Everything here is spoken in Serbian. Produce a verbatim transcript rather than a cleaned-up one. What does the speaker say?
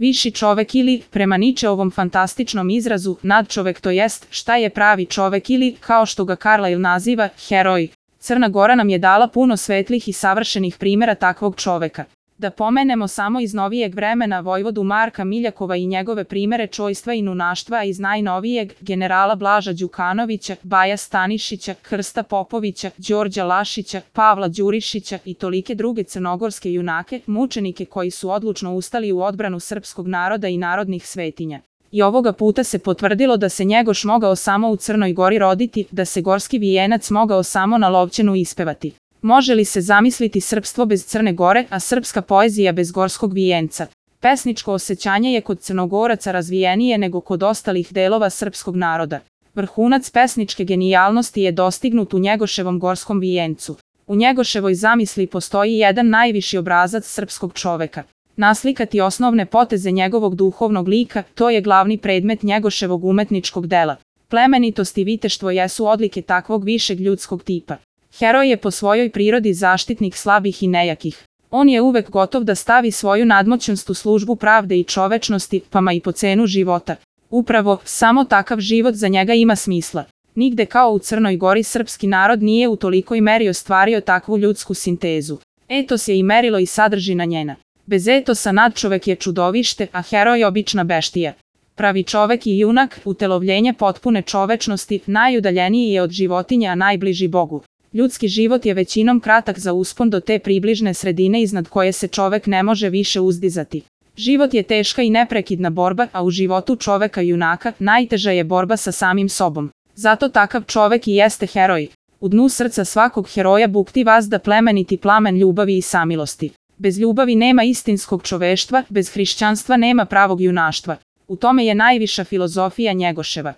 Viši čovek ili, prema Ničeovom fantastičnom izrazu, nadčovek, to jest, šta je pravi čovek ili, kao što ga Carlyle naziva, heroj. Crna Gora nam je dala puno svetlih i savršenih primera takvog čoveka. Da pomenemo samo iz novijeg vremena vojvodu Marka Miljakova i njegove primere čojstva i nunaštva, a iz najnovijeg generala Blaža Đukanovića, Baja Stanišića, Krsta Popovića, Đorđa Lašića, Pavla Đurišića i tolike druge crnogorske junake, mučenike koji su odlučno ustali u odbranu srpskog naroda i narodnih svetinja. I ovoga puta se potvrdilo da se Njegoš mogao samo u Crnoj Gori roditi, da se gorski vijenac mogao samo na Lovćenu ispevati. Može li se zamisliti srpstvo bez Crne Gore, a srpska poezija bez gorskog vijenca? Pesničko osjećanje je kod Crnogoraca razvijenije nego kod ostalih delova srpskog naroda. Vrhunac pesničke genijalnosti je dostignut u Njegoševom gorskom vijencu. U Njegoševoj zamisli postoji jedan najviši obrazac srpskog čoveka. Naslikati osnovne poteze njegovog duhovnog lika, to je glavni predmet Njegoševog umetničkog dela. Plemenitost i viteštvo jesu odlike takvog višeg ljudskog tipa. Heroj je po svojoj prirodi zaštitnik slabih i nejakih. On je uvek gotov da stavi svoju nadmoćnost u službu pravde i čovečnosti, pa ma i po cenu života. Upravo, samo takav život za njega ima smisla. Nigde kao u Crnoj Gori srpski narod nije u tolikoj meri ostvario takvu ljudsku sintezu. Etos je i merilo i sadržina njena. Bez etosa nadčovek je čudovište, a heroj obična beštija. Pravi čovek i junak, utelovljenje potpune čovečnosti, najudaljeniji je od životinja, a najbliži Bogu. Ljudski život je većinom kratak za uspon do te približne sredine iznad koje se čovek ne može više uzdizati. Život je teška i neprekidna borba, a u životu čoveka junaka najteža je borba sa samim sobom. Zato takav čovek i jeste heroj. U dnu srca svakog heroja bukti vazda plemeniti plamen ljubavi i samilosti. Bez ljubavi nema istinskog čoveštva, bez hrišćanstva nema pravog junaštva. U tome je najviša filozofija Njegoševa.